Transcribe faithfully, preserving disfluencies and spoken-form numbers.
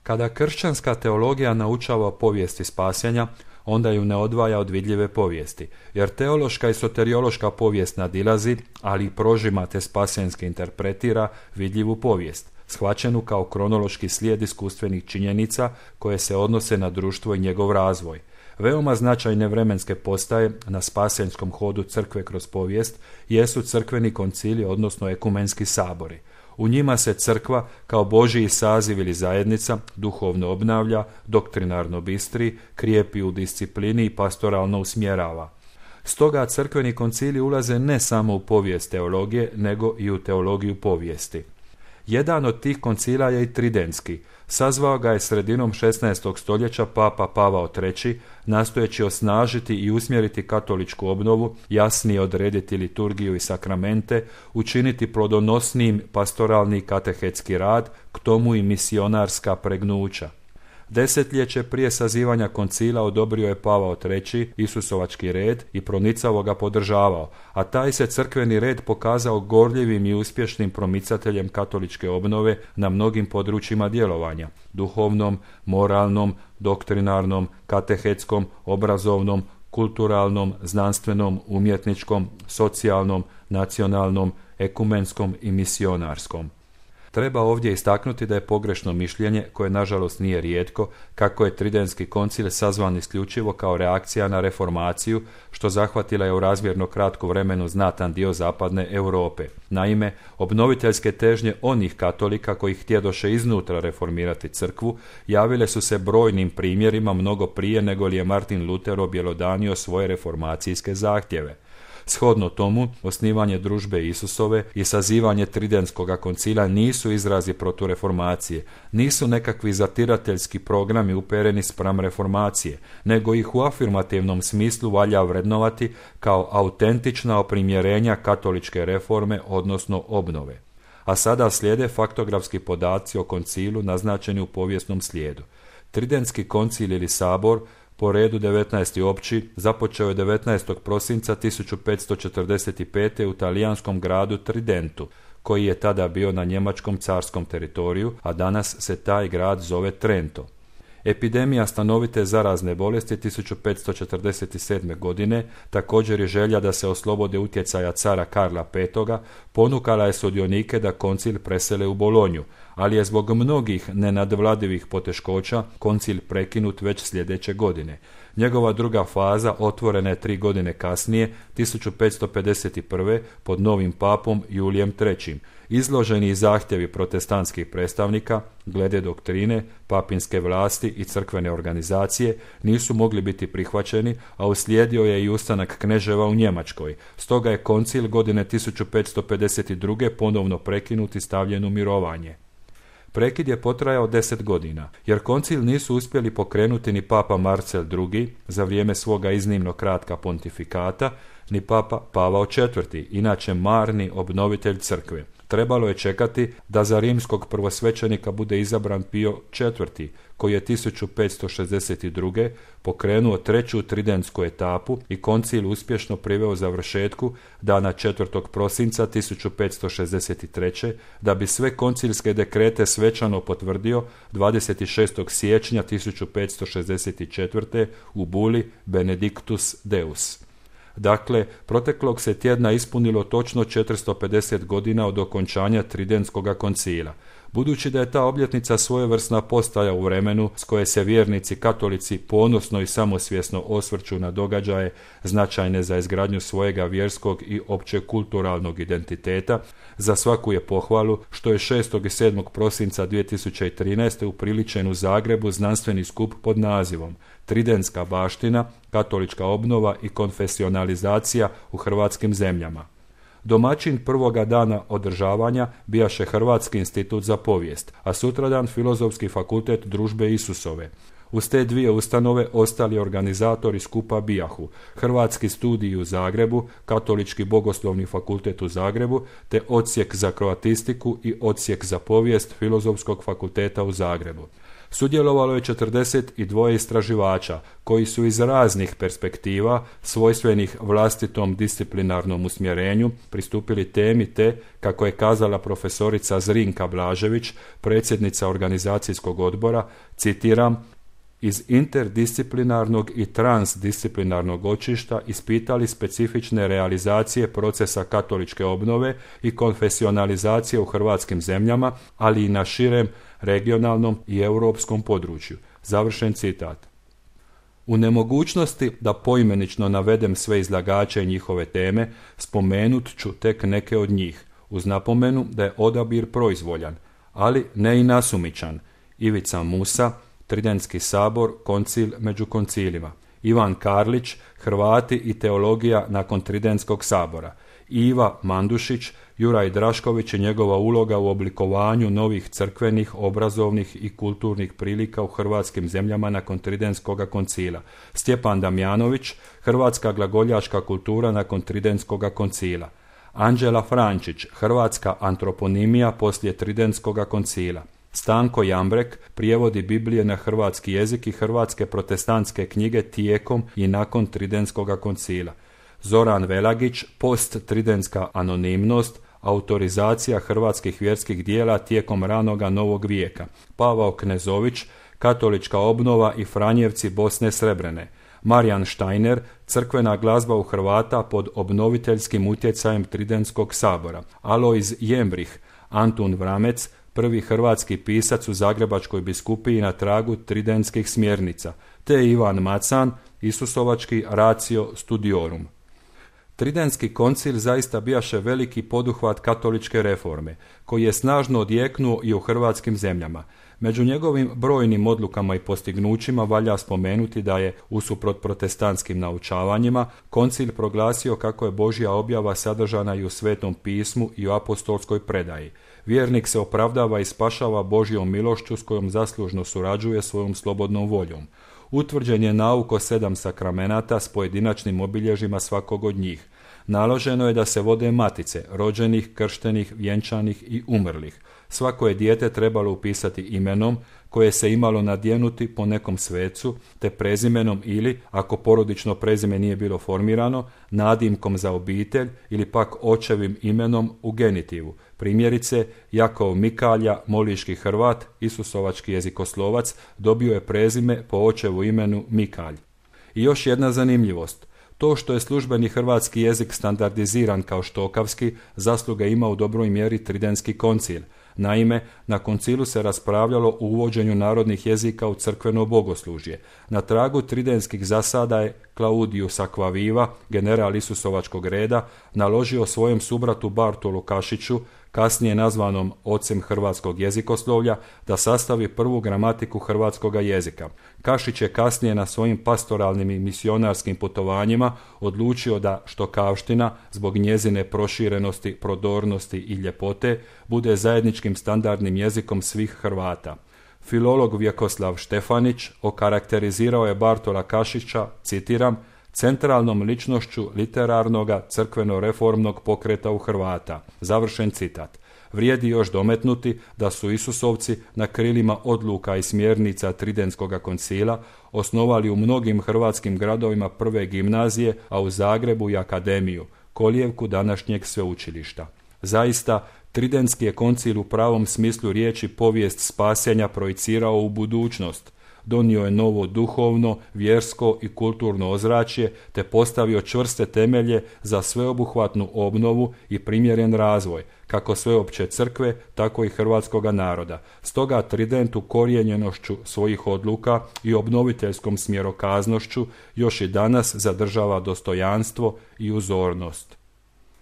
Kada kršćanska teologija naučava o povijesti spasenja, onda ju ne odvaja od vidljive povijesti, jer teološka i soteriološka povijest nadilazi, ali i prožima te spasenski interpretira vidljivu povijest, shvaćenu kao kronološki slijed iskustvenih činjenica koje se odnose na društvo i njegov razvoj. Veoma značajne vremenske postaje na spasenskom hodu crkve kroz povijest jesu crkveni koncili, odnosno ekumenski sabori. U njima se crkva kao Božji saziv ili zajednica duhovno obnavlja, doktrinarno bistri, krijepi u disciplini i pastoralno usmjerava. Stoga crkveni koncili ulaze ne samo u povijest teologije, nego i u teologiju povijesti. Jedan od tih koncila je i Tridentski. Sazvao ga je sredinom šesnaestog stoljeća papa Pavao treći, nastojeći osnažiti i usmjeriti katoličku obnovu, jasnije odrediti liturgiju i sakramente, učiniti plodonosnijim pastoralni katehetski rad, k tomu i misionarska pregnuća. Desetljeće prije sazivanja koncila odobrio je Pavao treći Isusovački red i pronicavo ga podržavao, a taj se crkveni red pokazao gorljivim i uspješnim promicateljem katoličke obnove na mnogim područjima djelovanja, duhovnom, moralnom, doktrinarnom, katehetskom, obrazovnom, kulturalnom, znanstvenom, umjetničkom, socijalnom, nacionalnom, ekumenskom i misionarskom. Treba ovdje istaknuti da je pogrešno mišljenje, koje nažalost nije rijetko, kako je Tridentski koncil sazvan isključivo kao reakcija na reformaciju, što zahvatila je u razmjerno kratku vremenu znatan dio zapadne Europe. Naime, obnoviteljske težnje onih katolika koji htjedoše iznutra reformirati crkvu javile su se brojnim primjerima mnogo prije nego li je Martin Luter objelodanio svoje reformacijske zahtjeve. Shodno tomu, osnivanje družbe Isusove i sazivanje Tridentskoga koncila nisu izrazi protureformacije, nisu nekakvi zatirateljski programi upereni spram reformacije, nego ih u afirmativnom smislu valja vrednovati kao autentična oprimjerenja katoličke reforme, odnosno obnove. A sada slijede faktografski podaci o koncilu naznačeni u povijesnom slijedu. Tridentski koncil ili sabor, po redu devetnaesti opći, započeo je devetnaestog prosinca tisuću petsto četrdeset pete u talijanskom gradu Tridentu, koji je tada bio na njemačkom carskom teritoriju, a danas se taj grad zove Trento. Epidemija stanovite zarazne bolesti tisuću petsto četrdeset sedme. godine, također je želja da se oslobode utjecaja cara Karla petoga, ponukala je sudionike da koncil presele u Bolonju, ali je zbog mnogih nenadvladivih poteškoća koncil prekinut već sljedeće godine. Njegova druga faza otvorena je tri godine kasnije, tisuću petsto pedeset prve. pod novim papom Julijem trećim. Izloženi i zahtjevi protestantskih predstavnika glede doktrine, papinske vlasti i crkvene organizacije nisu mogli biti prihvaćeni, a uslijedio je i ustanak kneževa u Njemačkoj. Stoga je koncil godine tisuću petsto pedeset druge. ponovno prekinut i stavljen u mirovanje. Prekid je potrajao deset godina, jer koncil nisu uspjeli pokrenuti ni papa Marcel drugi. za vrijeme svoga iznimno kratka pontifikata, ni papa Pavao četvrti. inače marni obnovitelj crkve. Trebalo je čekati da za rimskog prvosvećenika bude izabran Pio četvrti. koji je tisuću petsto šezdeset druge. pokrenuo treću tridentsku etapu i koncil uspješno priveo završetku dana četvrtog prosinca tisuću petsto šezdeset treće. da bi sve koncilske dekrete svečano potvrdio dvadeset šestog siječnja tisuću petsto šezdeset četvrte. u buli Benedictus Deus. Dakle, proteklog se tjedna ispunilo točno četiristo pedeset godina od okončanja Tridentskoga koncila. Budući da je ta obljetnica svojevrsna postaja u vremenu s koje se vjernici katolici ponosno i samosvjesno osvrću na događaje značajne za izgradnju svojega vjerskog i općekulturalnog identiteta, za svaku je pohvalu što je šestog i sedmog prosinca dvije tisuće trinaeste. upriličen u Zagrebu znanstveni skup pod nazivom Tridentska baština, katolička obnova i konfesionalizacija u hrvatskim zemljama. Domaćin prvoga dana održavanja bijaše Hrvatski institut za povijest, a sutradan Filozofski fakultet družbe Isusove. Uz te dvije ustanove ostali organizatori skupa bijahu Hrvatski studij u Zagrebu, Katolički bogoslovni fakultet u Zagrebu, te odsjek za kroatistiku i odsjek za povijest Filozofskog fakulteta u Zagrebu. Sudjelovalo je četrdeset dva istraživača koji su iz raznih perspektiva, svojstvenih vlastitom disciplinarnom usmjerenju, pristupili temi te, kako je kazala profesorica Zrinka Blažević, predsjednica organizacijskog odbora, citiram, iz interdisciplinarnog i transdisciplinarnog očišta ispitali specifične realizacije procesa katoličke obnove i konfesionalizacije u hrvatskim zemljama, ali i na širem regionalnom i europskom području. Završen citat. U nemogućnosti da poimenično navedem sve izlagače i njihove teme, spomenut ću tek neke od njih, uz napomenu da je odabir proizvoljan, ali ne i nasumičan. Ivica Musa, Tridentski sabor, koncil među koncilima. Ivan Karlić, Hrvati i teologija nakon Tridentskog sabora. Iva Mandušić, Juraj Drašković i njegova uloga u oblikovanju novih crkvenih, obrazovnih i kulturnih prilika u hrvatskim zemljama nakon Tridentskog koncila. Stjepan Damjanović, Hrvatska glagoljačka kultura nakon Tridentskog koncila. Anđela Frančić, Hrvatska antroponimija poslije Tridentskog koncila. Stanko Jambrek, prijevodi Biblije na hrvatski jezik i hrvatske protestantske knjige tijekom i nakon Tridentskog koncila. Zoran Velagić, post-tridentska anonimnost, autorizacija hrvatskih vjerskih dijela tijekom ranoga novog vijeka. Pavao Knezović, katolička obnova i Franjevci Bosne Srebrene. Marijan Štajner, crkvena glazba u Hrvata pod obnoviteljskim utjecajem Tridentskog sabora. Alojz Jembrih, Antun Vramec, prvi hrvatski pisac u Zagrebačkoj biskupiji na tragu tridentskih smjernica, te Ivan Macan, Isusovački ratio studiorum. Tridentski koncil zaista bijaše veliki poduhvat katoličke reforme, koji je snažno odjeknuo i u hrvatskim zemljama. Među njegovim brojnim odlukama i postignućima valja spomenuti da je, usuprot protestantskim naučavanjima, koncil proglasio kako je Božja objava sadržana i u Svetom pismu i u apostolskoj predaji. Vjernik se opravdava i spašava Božjom milošću s kojom zaslužno surađuje svojom slobodnom voljom. Utvrđen je nauk o sedam sakramenata s pojedinačnim obilježjima svakog od njih. Naloženo je da se vode matice, rođenih, krštenih, vjenčanih i umrlih. Svako je dijete trebalo upisati imenom, koje se imalo nadjenuti po nekom svecu, te prezimenom ili, ako porodično prezime nije bilo formirano, nadimkom za obitelj ili pak očevim imenom u genitivu. Primjerice, Jakov Mikalja, moliški Hrvat, isusovački jezikoslovac, dobio je prezime po očevu imenu Mikalj. I još jedna zanimljivost. To što je službeni hrvatski jezik standardiziran kao štokavski, zasluge ima u dobroj mjeri Tridentski koncil. Naime, na koncilu se raspravljalo o uvođenju narodnih jezika u crkveno bogoslužje. Na tragu tridentskih zasada je Claudius Aquaviva, general Isusovačkog reda, naložio svojem subratu Bartolu Kašiću, kasnije nazvanom ocem hrvatskog jezikoslovlja, da sastavi prvu gramatiku hrvatskoga jezika. Kašić je kasnije na svojim pastoralnim i misionarskim putovanjima odlučio da štokavština, zbog njezine proširenosti, prodornosti i ljepote, bude zajedničkim standardnim jezikom svih Hrvata. Filolog Vjekoslav Štefanić okarakterizirao je Bartola Kašića, citiram, centralnom ličnošću literarnoga crkveno-reformnog pokreta u Hrvata. Završen citat. Vrijedi još dometnuti da su Isusovci na krilima odluka i smjernica Tridentskog koncila osnovali u mnogim hrvatskim gradovima prve gimnazije, a u Zagrebu i akademiju, kolijevku današnjeg sveučilišta. Zaista, Tridentski je koncil u pravom smislu riječi povijest spasenja projicirao u budućnost. Donio je novo duhovno, vjersko i kulturno ozračje te postavio čvrste temelje za sveobuhvatnu obnovu i primjeren razvoj, kako sveopće crkve, tako i hrvatskoga naroda. Stoga Trident ukorijenjenošću svojih odluka i obnoviteljskom smjerokaznošću još i danas zadržava dostojanstvo i uzornost.